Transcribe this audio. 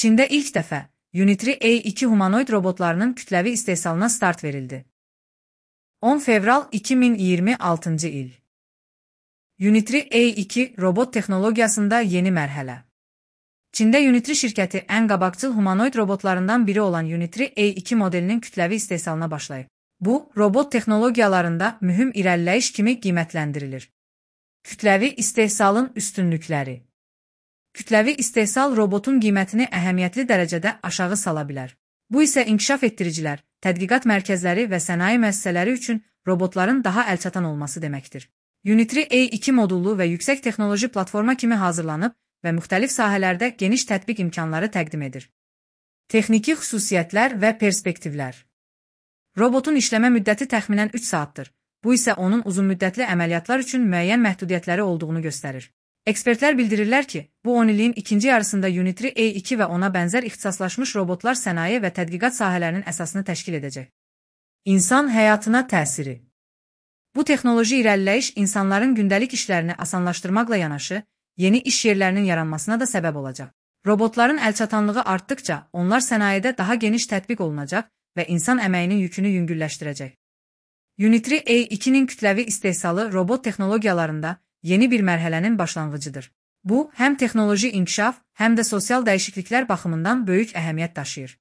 Çində ilk dəfə Unitary A2 humanoid robotlarının kütləvi istehsalına start verildi. 10 fevral 2026 il. Unitary A2 robot texnologiyasında yeni mərhələ. Çində Unitary şirkəti ən qabaqcıl humanoid robotlarından biri olan Unitary A2 modelinin kütləvi istehsalına başlayıb. Bu, robot texnologiyalarında mühüm irəliləyiş kimi qiymətləndirilir. Kütləvi istehsalın üstünlükləri. Kütləvi istehsal robotun qiymətini əhəmiyyətli dərəcədə aşağı sala bilər. Bu isə inkişaf etdiricilər, tədqiqat mərkəzləri və sənaye müəssisələri üçün robotların daha əlçatan olması deməkdir. Unitary A2 modullu və yüksək texnoloji platforma kimi hazırlanıb və müxtəlif sahələrdə geniş tətbiq imkanları təqdim edir. Texniki xüsusiyyətlər və perspektivlər. Robotun işləmə müddəti təxminən 3 saatdır. Bu isə onun uzunmüddətli əməliyyatlar üçün müəyyən məhdudiyyətləri olduğunu göstərir. Ekspertlər bildirirlər ki, bu 10 illiyin ikinci yarısında Unitary A2 və ona bənzər ixtisaslaşmış robotlar sənaye və tədqiqat sahələrinin əsasını təşkil edəcək. İnsan həyatına təsiri. Bu texnoloji irəliləyiş insanların gündəlik işlərini asanlaşdırmaqla yanaşı, yeni iş yerlərinin yaranmasına da səbəb olacaq. Robotların əlçatanlığı artdıkca onlar sənayedə daha geniş tətbiq olunacaq və insan əməyinin yükünü yüngülləşdirəcək. Unitary A2-nin kütləvi istehsalı robot texnologiyalarında yeni bir mərhələnin başlanğıcıdır. Bu, həm texnoloji inkişaf, həm də sosial dəyişikliklər baxımından böyük əhəmiyyət daşıyır.